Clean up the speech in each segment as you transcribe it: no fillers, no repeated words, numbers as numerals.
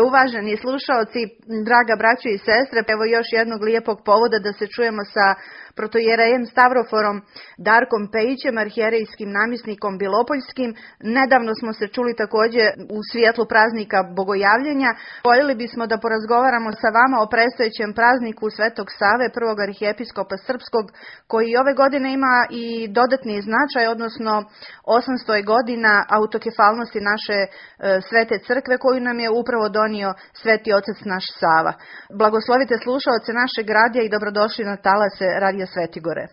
Uvaženi slušaoci, draga braćo i sestre, evo još jednog lijepog povoda da se čujemo sa protojerejem Stavroforom Darkom Pejićem, arhijerejskim namjesnikom Bilopoljskim. Nedavno smo se čuli također u svjetlu praznika Bogojavljenja. Voljeli bismo da porazgovaramo sa vama o predstojećem prazniku Svetog Save, prvog arhijepiskopa srpskog, koji ove godine ima i dodatni značaj, odnosno 800 godina autokefalnosti naše svete crkve koju nam je upravo donio Sveti Otac naš Sava. Blagoslovite slušaoce našeg radija i dobrodošli na talase Radija Svetigore.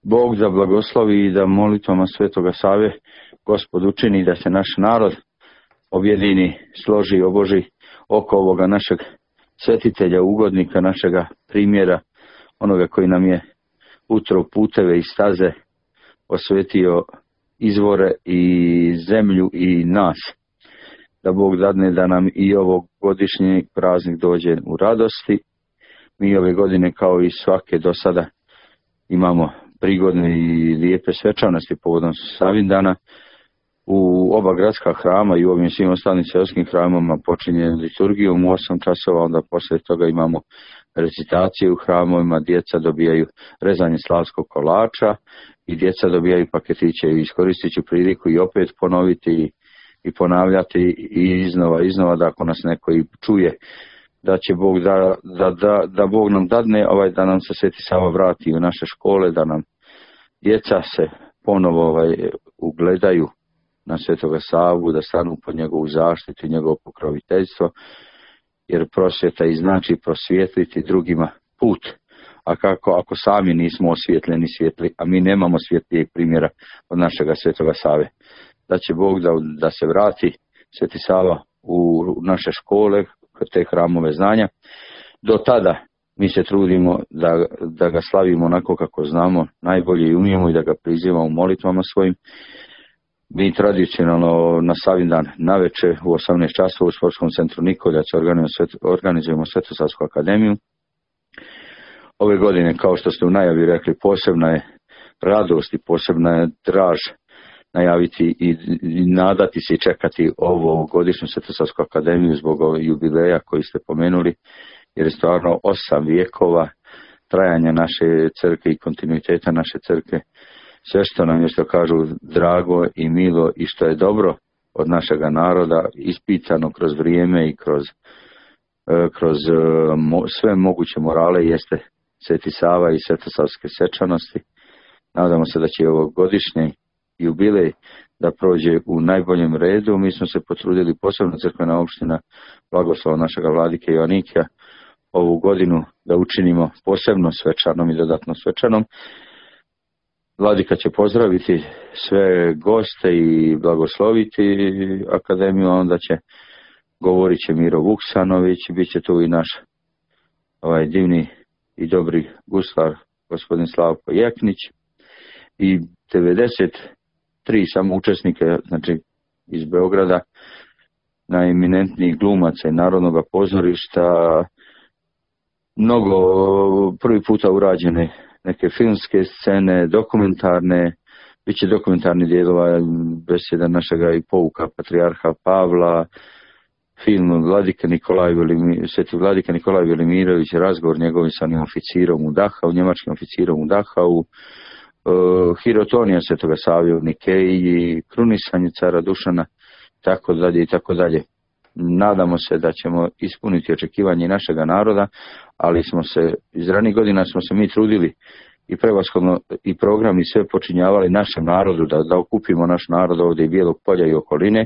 Bog da blagoslovi i da molitvama Svetoga Save Gospod učini da se naš narod objedini, složi i oboži oko ovoga našeg svetitelja, ugodnika, našega primjera, onoga koji nam je utro puteve i staze, osvetio izvore i zemlju i nas. Da Bog dadne da nam i ovog godišnji praznik dođe u radosti. Mi ove godine kao i svake do sada imamo prigodne i lijepe svečanosti povodom Savindana. U oba gradska hrama i u ovim svim ostalim seoskim hramama počinje liturgijom u 8 časova, onda poslije toga imamo recitacije u hramovima, djeca dobijaju rezanje slavskog kolača i djeca dobijaju paketiće. Iskoristit ću priliku i opet ponoviti i ponavljati i iznova da ako nas neko i čuje, da će Bog da Bog nam dadne da nam se Sveti Sava vrati u naše škole, da nam djeca se ponovo ugledaju na Svetoga Savu, da stanu pod njegovu zaštitu i njegovo pokroviteljstvo, jer prosvjeta i znači prosvjetliti drugima put. A kako ako sami nismo osvjetljeni svjetli, a mi nemamo svjetlijeg primjera od našega Svetoga Save, da će Bog da se vrati Sveti Sava u naše škole, te hramove znanja. Do tada mi se trudimo da ga slavimo onako kako znamo najbolje i umijemo i da ga prizivamo u molitvama svojim. Mi tradicionalno na Savindan navečer u 18 časova u Sportskom centru Nikoljac organizujemo Svetosavsku akademiju. Ove godine, kao što ste u najavi rekli, posebna je radost i posebna je draž najaviti i nadati se i čekati ovo godišnju Svetosavsku akademiju zbog jubileja koji ste pomenuli, jer je stvarno 8 vijekova trajanja naše crkve i kontinuiteta naše crkve. Sve što nam je, što kažu, drago i milo i što je dobro od našega naroda, ispitano kroz vrijeme i kroz sve moguće morale, jeste Sveti Sava i svetosavske svečanosti. Nadamo se da će ovo godišnje jubilej da prođe u najboljem redu. Mi smo se potrudili, posebno crkvena opština blagoslova našega vladike Joanikija, ovu godinu da učinimo posebno svečanom i dodatno svečanom. Vladika će pozdraviti sve goste i blagosloviti akademiju, a onda govorit će Miro Vuksanović, bit će tu i naš divni i dobri guslar gospodin Slavko Jeknić i 93 samo učesnike, znači iz Beograda, najeminentnijih glumaca i Narodnog pozorišta, mnogo prvi puta urađene neke filmske scene, dokumentarne, bit će dokumentarni dijelova beseda našega i pouka patrijarha Pavla, film Sveti Vladika Nikolaj Velimirović, razgovor njegovim sa oficirom u Dachau, njemačkim oficirom u Dachau, hirotonija Svetoga Save u Nikeji, krunisanje cara Dušana, tako dalje i tako dalje. Nadamo se da ćemo ispuniti očekivanje našega naroda, ali iz ranih godina smo se mi trudili i prevashodno i programi sve počinjavali našem narodu, da okupimo naš narod ovdje i Bijelog Polja i okoline.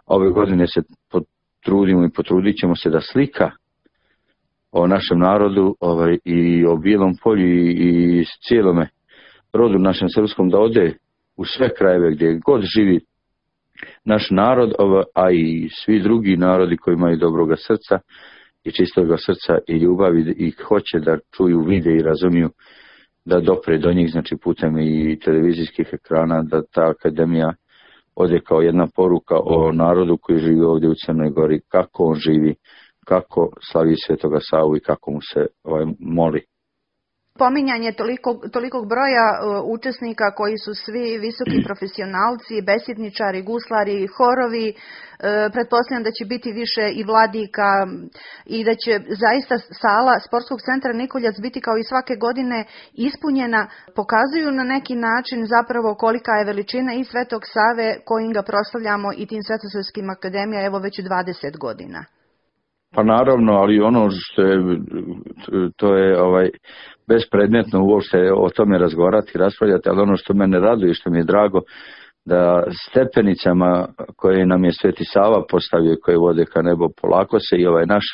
Ove godine se potrudimo i potrudit ćemo se da slika o našem narodu i o Bijelom Polju i cijelome rodu našem srpskom da ode u sve krajeve gdje god živi naš narod, a i svi drugi narodi koji imaju dobroga srca i čistoga srca i ljubavi i hoće da čuju, vide i razumiju, da dopre do njih, znači putem i televizijskih ekrana, da ta akademija ode kao jedna poruka o narodu koji živi ovdje u Crnoj Gori, kako on živi, kako slavi Svetoga Savu i kako mu se moli. Pominjanje tolikog broja učesnika koji su svi visoki profesionalci, besjedničari, guslari, horovi, pretpostavljam da će biti više i vladika i da će zaista sala Sportskog centra Nikoljac biti kao i svake godine ispunjena, pokazuju na neki način zapravo kolika je veličina i Svetog Save kojim ga proslavljamo i tim Svetosavskim akademija evo već 20 godina. Pa naravno, ali ono što je, to je bespredmetno uopšte o tome razgovarati, raspravljati, ali ono što mene raduje, što mi je drago, da stepenicama koje nam je Sveti Sava postavio, koje vode ka nebo, polako se i naš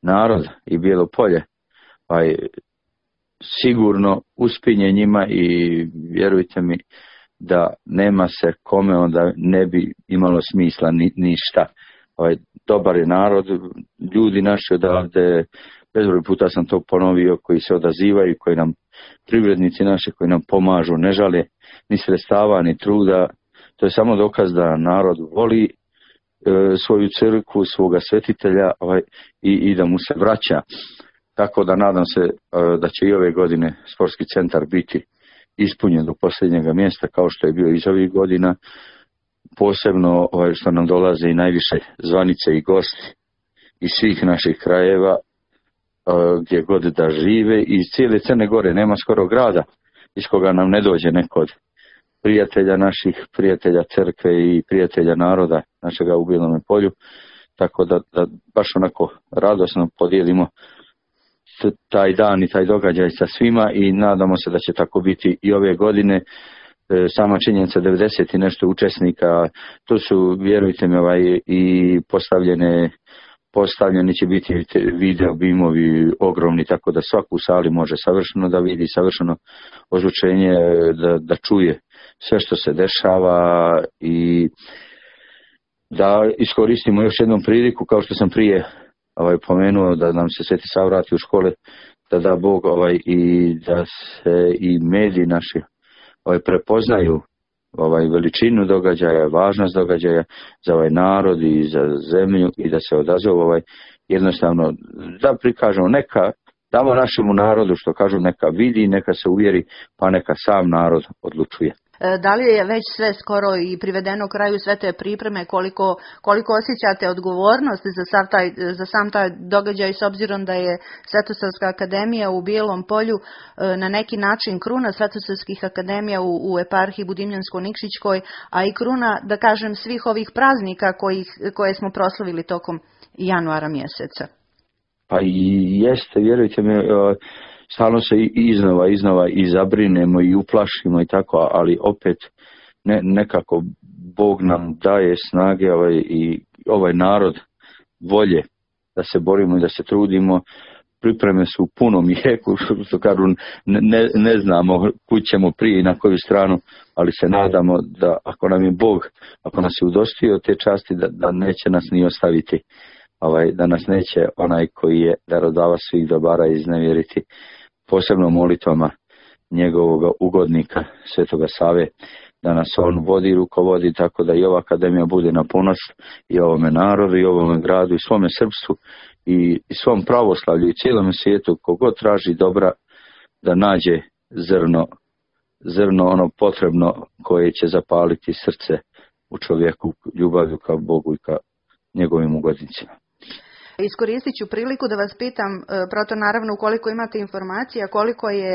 narod i Bijelo Polje sigurno uspinje njima i vjerujte mi da nema se kome onda ne bi imalo smisla ništa. Dobar je narod, ljudi naši odavde, bezbroj puta sam to ponovio, koji se odazivaju, koji nam, privrednici naši koji nam pomažu, ne žale ni sredstava, ni truda. To je samo dokaz da narod voli svoju crkvu, svoga svetitelja i da mu se vraća. Tako da nadam se da će i ove godine sportski centar biti ispunjen do posljednjega mjesta kao što je bio iz ovih godina. Posebno što nam dolaze i najviše zvanice i gosti iz svih naših krajeva, gdje god da žive, iz cijele Crne Gore. Nema skoro grada iz koga nam ne dođe neko od prijatelja naših, prijatelja crkve i prijatelja naroda našega u Bijelome Polju. Tako da baš onako radosno podijelimo taj dan i taj događaj sa svima i nadamo se da će tako biti i ove godine. Sama činjenica 90 i nešto učesnika, to su, vjerujte mi, i postavljeni će biti video bimovi ogromni, tako da svako u sali može savršeno da vidi, savršeno ozvučenje, da čuje sve što se dešava i da iskoristimo još jednom priliku, kao što sam prije pomenuo, da nam se Sveti Sava vrati u škole, da Bog i da se i mediji naši prepoznaju veličinu događaja, važnost događaja za narod i za zemlju i da se odazovu jednostavno da prikažemo, neka damo našemu narodu, što kažu, neka vidi, neka se uvjeri, pa neka sam narod odlučuje. Da li je već sve skoro i privedeno kraju sve te pripreme, koliko osjećate odgovornost za sam taj događaj, s obzirom da je Svetosavska akademija u Bijelom Polju na neki način kruna Svetosavskih akademija u eparhiji Budimljansko-Nikšićkoj, a i kruna, da kažem, svih ovih praznika koje smo proslavili tokom januara mjeseca? Pa i jeste, vjerujte mi, stalno se iznova i zabrinemo i uplašimo i tako, ali opet nekako Bog nam daje snage i ovaj narod volje da se borimo i da se trudimo. Pripreme su u punom jeku, što kažu, ne znamo kud ćemo prije i na koju stranu, ali se nadamo da ako nam je Bog, ako nas je udostio te časti, da neće nas ni ostaviti, da nas neće onaj koji je darodavac svih dobara iznevjeriti, posebno molitvama njegovog ugodnika Svetoga Save, da nas on vodi i rukovodi, tako da i ova akademija bude na ponos i ovome narodu i ovome gradu i svome srpstvu i svom pravoslavlju i cijelom svijetu. Kogod traži dobra, da nađe zrno ono potrebno koje će zapaliti srce u čovjeku, ljubavlju ka Bogu i ka njegovim ugodnicima. Iskoristit ću priliku da vas pitam, proto naravno ukoliko imate informacija, koliko je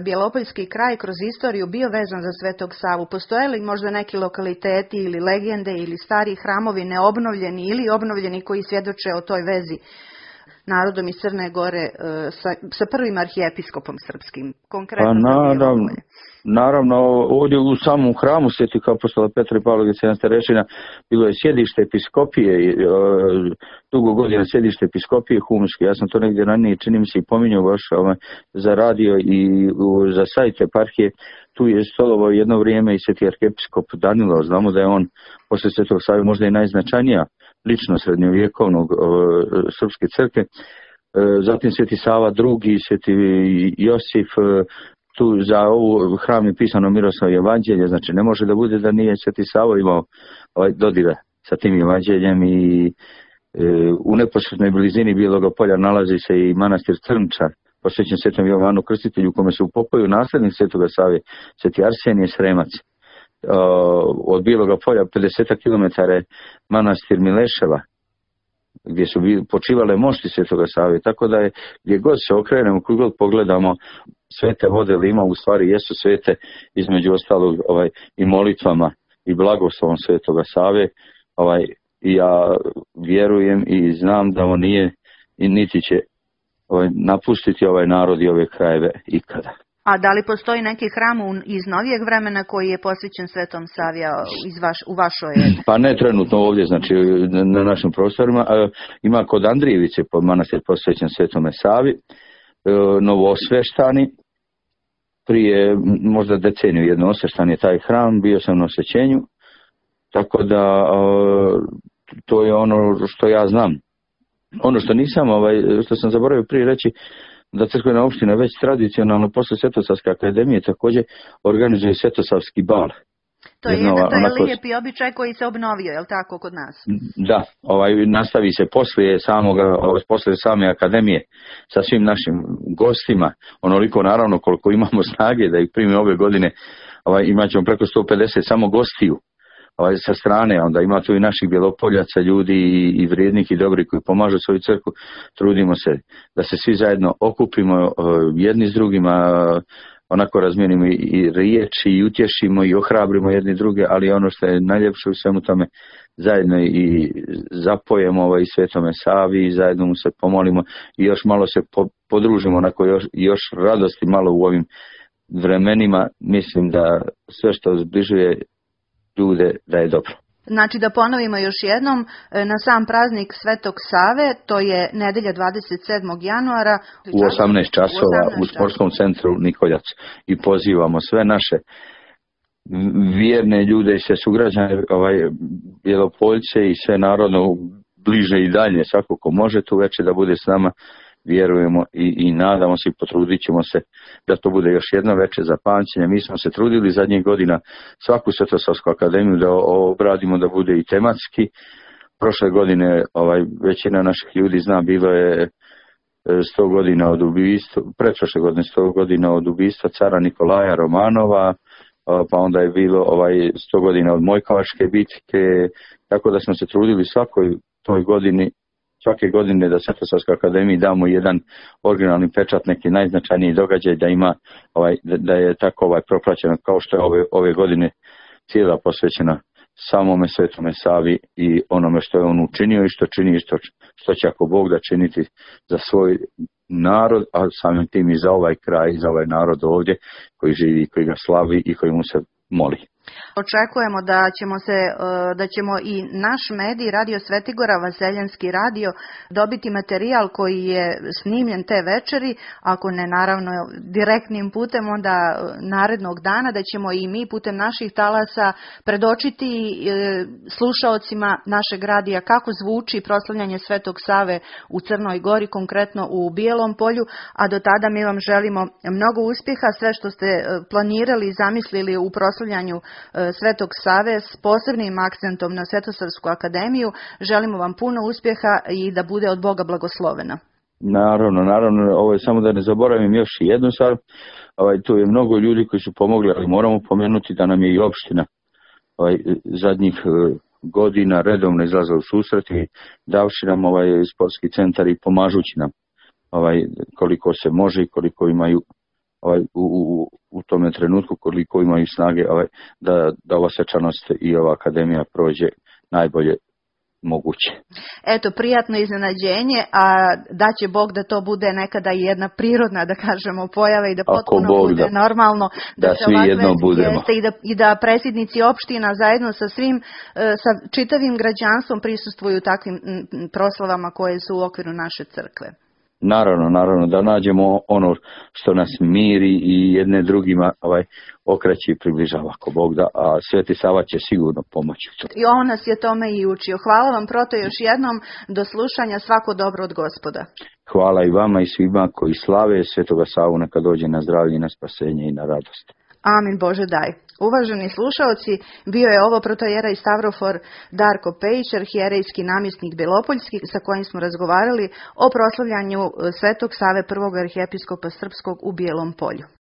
Bjelopoljski kraj kroz istoriju bio vezan za Svetog Savu. Postoje li možda neki lokaliteti ili legende ili stari hramovi neobnovljeni ili obnovljeni koji svjedoče o toj vezi narodom iz Crne Gore sa prvim arhijepiskopom srpskim? Konkretno Naravno, ovdje u samom hramu Svetih apostola Petra i Pavla i starešina bilo je sjedište episkopije, dugo godina sjedište episkopije humske. Ja sam to negdje ranije, čini mi se, i pominjao baš za radio i za sajt eparhije. Tu je stolovao jedno vrijeme i sveti arhijepiskop Danilo. Znamo da je on posle Svetog Save možda i najznačajnija lično srednjovjekovnog srpske crkve. Zatim Sveti Sava II, Sveti Josif. Tu za ovu hram je pisano Miroslavljevo evanđelje, znači ne može da bude da nije Sveti Savo imao dodira sa tim evanđeljem i u neposrednoj blizini Bijeloga Polja nalazi se i manastir Crnčar, posvećen Svetom Jovanu Krstitelju, u kome se upokojio naslednik Svetoga Save, Sveti Arsenije Sremac. Od Bijeloga polja 50 km je manastir Mileševa, gdje su počivale mošti Svetoga Save, tako da je gdje god se okrenemo, koji god pogledamo, svete vode Lima u stvari jesu svete, između ostalog i molitvama i blagoslovom Svetoga Save. I ja vjerujem i znam da on nije i niti će napustiti ovaj narod i ove krajeve ikada. A da li postoji neki hram iz novijeg vremena koji je posvećen Svetom Savi u vašoj... Pa ne trenutno ovdje, znači na našim prostorima. Ima kod Andrijevice manastir posvećen Svetome Savi, novoosveštani, prije možda deceniju jedno osveštan je taj hram, bio sam na osvećenju, tako da to je ono što ja znam. Ono što nisam, što sam zaboravio prije reći, da crkvena opština već tradicionalno posle Svetosavske akademije također organizuje Svetosavski bal. To je lijepi običaj koji se obnovio, je li tako, kod nas? Da, nastavi se posle same akademije sa svim našim gostima, onoliko naravno koliko imamo snage da ih primimo ove godine, imat ćemo preko 150 samo gostiju. Sa strane, onda ima tu i naših Bjelopoljaca, ljudi i vrijednih i dobri koji pomažu svoju crkvu. Trudimo se da se svi zajedno okupimo jedni s drugima, onako razmijenimo i riječi i utješimo i ohrabrimo jedni druge, ali ono što je najljepše u svemu tome, zajedno i zapojemo i Svetome Savi i zajedno mu se pomolimo i još malo se podružimo, onako još radosti malo u ovim vremenima. Mislim da sve što zbližuje ljude da je dobro. Znači da ponovimo još jednom, na sam praznik Svetog Save, to je nedelja 27. januara. U 18 časova u sportskom centru Nikoljac. I pozivamo sve naše vjerne ljude i sve sugrađane, Bjelopoljce i sve narodno bliže i dalje, svako ko može tu večer da bude s nama. Vjerujemo i nadamo se i potrudit ćemo se da to bude još jedno večer za pamćenje. Mi smo se trudili zadnjih godina svaku Svetosavsku akademiju da obradimo da bude i tematski. Prošle godine većina naših ljudi zna, bilo je 100 godina od ubistva, pretprošle godine 100 godina od ubistva cara Nikolaja Romanova, pa onda je bilo 100 godina od Mojkovačke bitke, tako da smo se trudili svake godine da Svetosavskoj akademiji damo jedan originalni pečat, neki najznačajniji događaj, da ima da je tako propraćeno kao što je ove godine cijela posvećena samome Svetome Savi i onome što je on učinio i što čini i što će ako Bog da činiti za svoj narod, a samim tim i za ovaj kraj i za ovaj narod ovdje koji živi, koji ga slavi i koji mu se moli. Očekujemo da ćemo i naš medij, Radio Svetigora, Vaseljanski radio, dobiti materijal koji je snimljen te večeri, ako ne naravno direktnim putem, onda narednog dana, da ćemo i mi putem naših talasa predočiti slušaocima našeg radija kako zvuči proslavljanje Svetog Save u Crnoj Gori, konkretno u Bijelom polju, a do tada mi vam želimo mnogo uspjeha, sve što ste planirali i zamislili u proslavljanju Svetog Save s posebnim akcentom na Svetosavsku akademiju. Želimo vam puno uspjeha i da bude od Boga blagoslovena. Naravno, ovo je samo da ne zaboravim još jednu stvar. Tu je mnogo ljudi koji su pomogli, ali moramo pomenuti da nam je i opština zadnjih godina redovno izlazila u susret i davši nam sportski centar i pomažući nam koliko se može i koliko imaju u tome trenutku, koliko imaju snage da ova svečanost i ova akademija prođe najbolje moguće. Eto, prijatno iznenađenje, a da će Bog da to bude nekada i jedna prirodna, da kažemo, pojava i da potpuno bude normalno. Da svi jedno budemo. I da predsjednici opština zajedno sa sa čitavim građanstvom prisustvuju takvim proslavama koje su u okviru naše crkve. Naravno, da nađemo ono što nas miri i jedne drugima okreće i približava ako Bog da, a Sveti Sava će sigurno pomoći. I on nas je tome i učio. Hvala vam, proto, još jednom, do slušanja, svako dobro od Gospoda. Hvala i vama i svima koji slave Svetoga Savu, neka dođe na zdravlje i na spasenje i na radost. Amin, Bože daj. Uvaženi slušaoci, bio je ovo protojera i stavrofor Darko Pejić, arhijerejski namjesnik Belopoljski, sa kojim smo razgovarali o proslavljanju Svetog Save prvog arhijepiskopa srpskog u Bijelom Polju.